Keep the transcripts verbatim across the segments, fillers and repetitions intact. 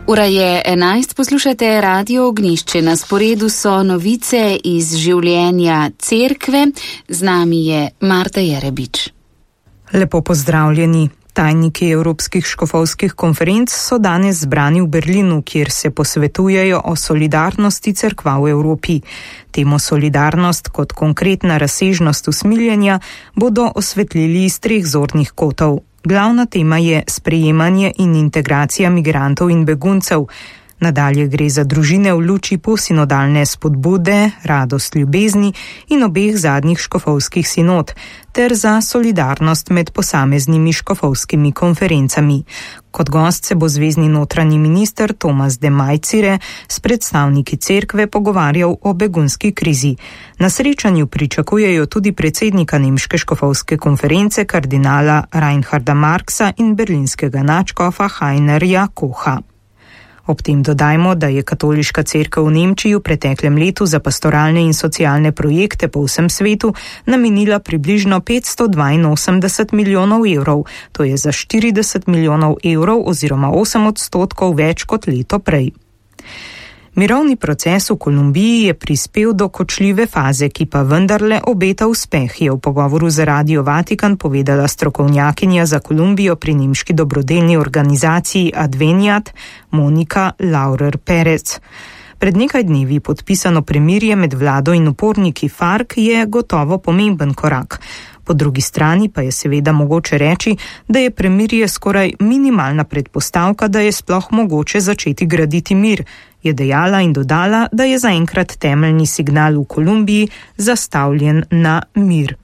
Ura je enajst, poslušate Radio Ognjišče. Na sporedu so novice iz življenja cerkve. Z nami je Marta Jerebič. Lepo pozdravljeni. Tajniki Evropskih škofovskih konferenc so danes zbrani v Berlinu, kjer se posvetujejo o solidarnosti cerkva v Evropi. Temo solidarnost kot konkretna razsežnost usmiljenja bodo osvetlili iz treh zornih kotov. Glavna tema je sprejemanje in integracija migrantov in beguncev. Nadalje gre za družine v luči posinodalne spodbude, radost ljubezni in obeh zadnjih škofovskih sinod, ter za solidarnost med posameznimi škofovskimi konferencami. Kot gost se bo zvezni notranji minister Thomas de Maizière s predstavniki cerkve pogovarjal o begunski krizi. Na srečanju pričakujejo tudi predsednika nemške škofovske konference kardinala Reinharda Marxa in berlinskega nadškofa Heinerja Kocha. Ob tem dodajmo, da je katoliška cerkev v Nemčiji v preteklem letu za pastoralne in socialne projekte po vsem svetu namenila približno petsto dvainosemdeset milijonov evrov, to je za štirideset milijonov evrov oziroma osem odstotkov več kot leto prej. Mirovni proces v Kolumbiji je prispel do kočljive faze, ki pa vendarle obeta uspeh, je v pogovoru za Radio Vatikan povedala strokovnjakinja za Kolumbijo pri nemški dobrodelni organizaciji Adveniat Monika Laurer-Perez. Pred nekaj dnevi podpisano premirje med vlado in uporniki FARC je gotovo pomemben korak. Po drugi strani pa je seveda mogoče reči, da je premirje skoraj minimalna predpostavka, da je sploh mogoče začeti graditi mir, je dejala in dodala, da je zaenkrat temeljni signal v Kolumbiji zastavljen na mir.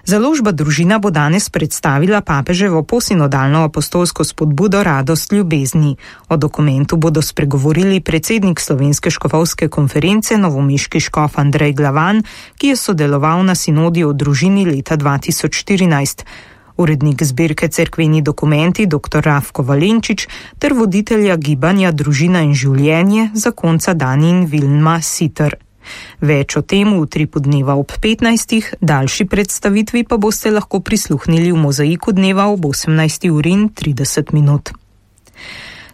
Založba Družina bo danes predstavila papeževo posinodalno apostolsko spodbudo Radost ljubezni. O dokumentu bodo spregovorili predsednik Slovenske škofovske konference, novomeški škof Andrej Glavan, ki je sodeloval na sinodi o družini leta dva tisoč štirinajst. Urednik zbirke Cerkveni dokumenti dr. Rafko Valenčič ter voditelja gibanja Družina in življenje zakonca Danin Vilma Siter. Več o tem v utripu dneva ob petnajstih, daljši predstavitvi pa boste lahko prisluhnili v mozaiku dneva ob osemnajsti uri in trideset minut.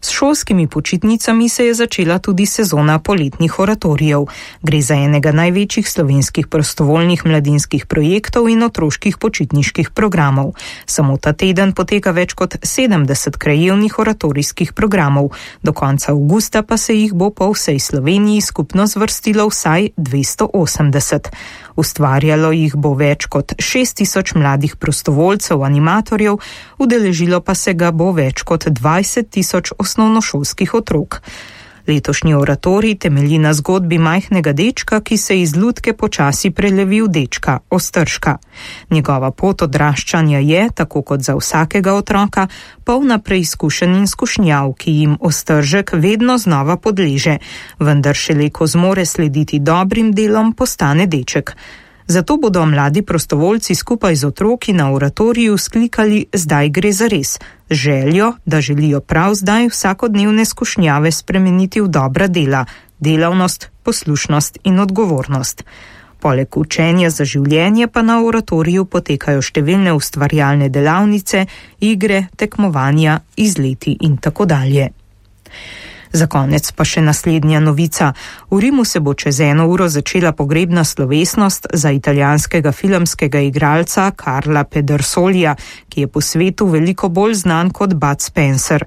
S šolskimi počitnicami se je začela tudi sezona poletnih oratorijev. Gre za enega največjih slovenskih prostovoljnih mladinskih projektov in otroških počitniških programov. Samo ta teden poteka več kot sedemdeset krajevnih oratorijskih programov. Do konca avgusta pa se jih bo po vsej Sloveniji skupno zvrstilo vsaj dvesto osemdeset. Ustvarjalo jih bo več kot šest tisoč mladih prostovoljcev, animatorjev, udeležilo pa se ga bo več kot dvajset tisoč osnovnošolskih otrok. Letošnji oratorij temelji na zgodbi majhnega dečka, ki se iz lutke počasi prelevi v dečka, Ostržka. Njegova pot odraščanja je, tako kot za vsakega otroka, polna preizkušenj in skušnjav, ki jim Ostržek vedno znova podleže, vendar šele ko zmore slediti dobrim delom, postane deček. Zato bodo mladi prostovoljci skupaj z otroki na oratoriju sklikali Zdaj gre zares, željo, da želijo prav zdaj vsakodnevne skušnjave spremeniti v dobra dela, delavnost, poslušnost in odgovornost. Poleg učenja za življenje pa na oratoriju potekajo številne ustvarjalne delavnice, igre, tekmovanja, izleti in tako dalje. Za konec pa še naslednja novica. V Rimu se bo čez eno uro začela pogrebna slovesnost za italijanskega filmskega igralca Carla Pedersolija, ki je po svetu veliko bolj znan kot Bud Spencer.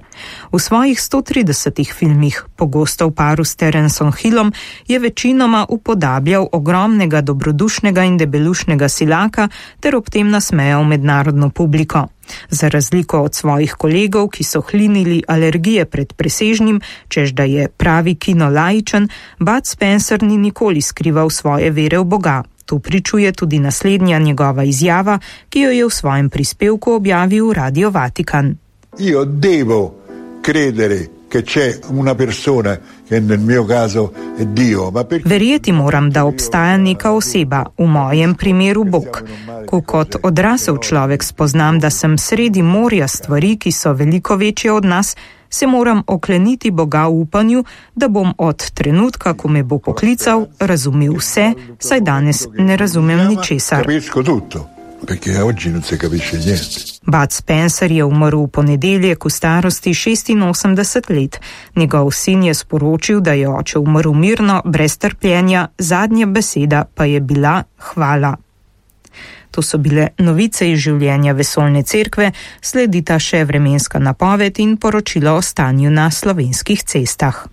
V svojih sto tridesetih filmih, pogosto v paru s Terenceom Hillom, je večinoma upodabljal ogromnega dobrodušnega in debelušnega silaka ter ob tem nasmejal mednarodno publiko. Za razliko od svojih kolegov, ki so hlinili alergije pred presežnim, čež da je pravi kino laičen, Bud Spencer ni nikoli skrival svoje vere v Boga. To pričuje tudi naslednja njegova izjava, ki jo je v svojem prispevku objavil Radio Vatikan. Io devo credere che c'è una persona che nel mio caso è Dio. Ma per... Verjeti moram, da obstaja neka oseba, v mojem primeru Bog. Ko kot odrasel človek spoznam, da sem sredi morja stvari, ki so veliko večje od nas, se moram okleniti Boga v upanju, da bom od trenutka, ko me bo poklical, razumel vse, saj danes ne razumem ničesar. Capisco tutto. perché oggi non si capisce niente. Bud Spencer je umrl v ponedeljek v starosti šestinosemdeset let. Njegov sin je sporočil, da je oče umrl mirno, brez trpljenja, zadnja beseda pa je bila hvala. To so bile novice iz življenja Vesoljne cerkve, sledita še vremenska napoved in poročilo o stanju na slovenskih cestah.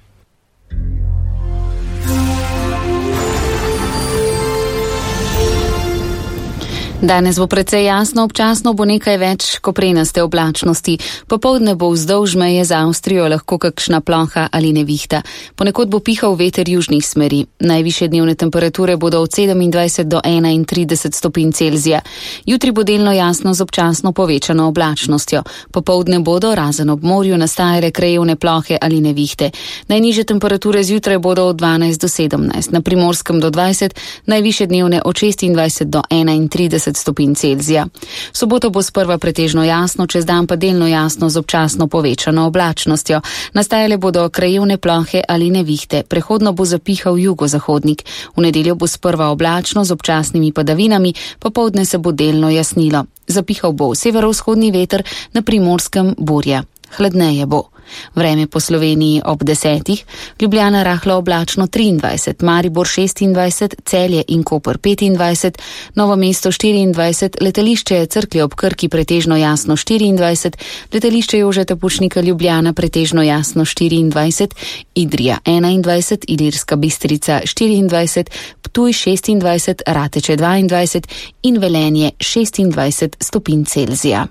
Danes bo precej jasno, občasno bo nekaj več koprenaste oblačnosti. Popoldne bo vzdolž meje z Avstrijo lahko kakšna ploha ali nevihta. Ponekod bo pihal veter južnih smeri. Najvišje dnevne temperature bodo od sedemindvajset do enaintrideset stopinj Celzija. Jutri bo delno jasno z občasno povečano oblačnostjo. Popoldne bodo razen ob morju nastajale krajevne plohe ali nevihte. Najnižje temperature zjutraj bodo od dvanajst do sedemnajst, na Primorskem do dvajset, najvišje dnevne od šestindvajset do enaintrideset stopinj Celzija. V soboto bo sprva pretežno jasno, čez dan pa delno jasno z občasno povečano oblačnostjo. Nastajale bodo krajevne plohe ali nevihte, prehodno bo zapihal jugozahodnik. V nedeljo bo sprva oblačno z občasnimi padavinami, popoldne se bo delno jasnilo. Zapihal bo severovzhodni veter, na Primorskem burja. Hladneje bo. Vreme po Sloveniji ob desetih, Ljubljana rahlo oblačno triindvajset, Maribor šestindvajset, Celje in Koper petindvajset, Novo mesto štiriindvajset, letališče Cerklje ob Krki pretežno jasno štiriindvajset, letališče Jožeta Pučnika Ljubljana pretežno jasno štiriindvajset, Idrija enaindvajset, Ilirska Bistrica štiriindvajset, Ptuj šestindvajset, Rateče dvaindvajset in Velenje šestindvajset stopinj Celzija.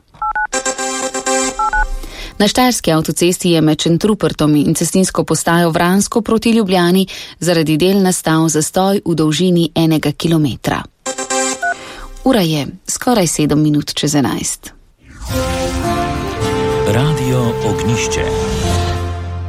Na Štajerski avtocesti je med Šentrupertom in cestninsko postajo Vransko proti Ljubljani zaradi del nastal zastoj v dolžini enega kilometra. Ura je skoraj sedem minut čez enajst. Radio Ognišče.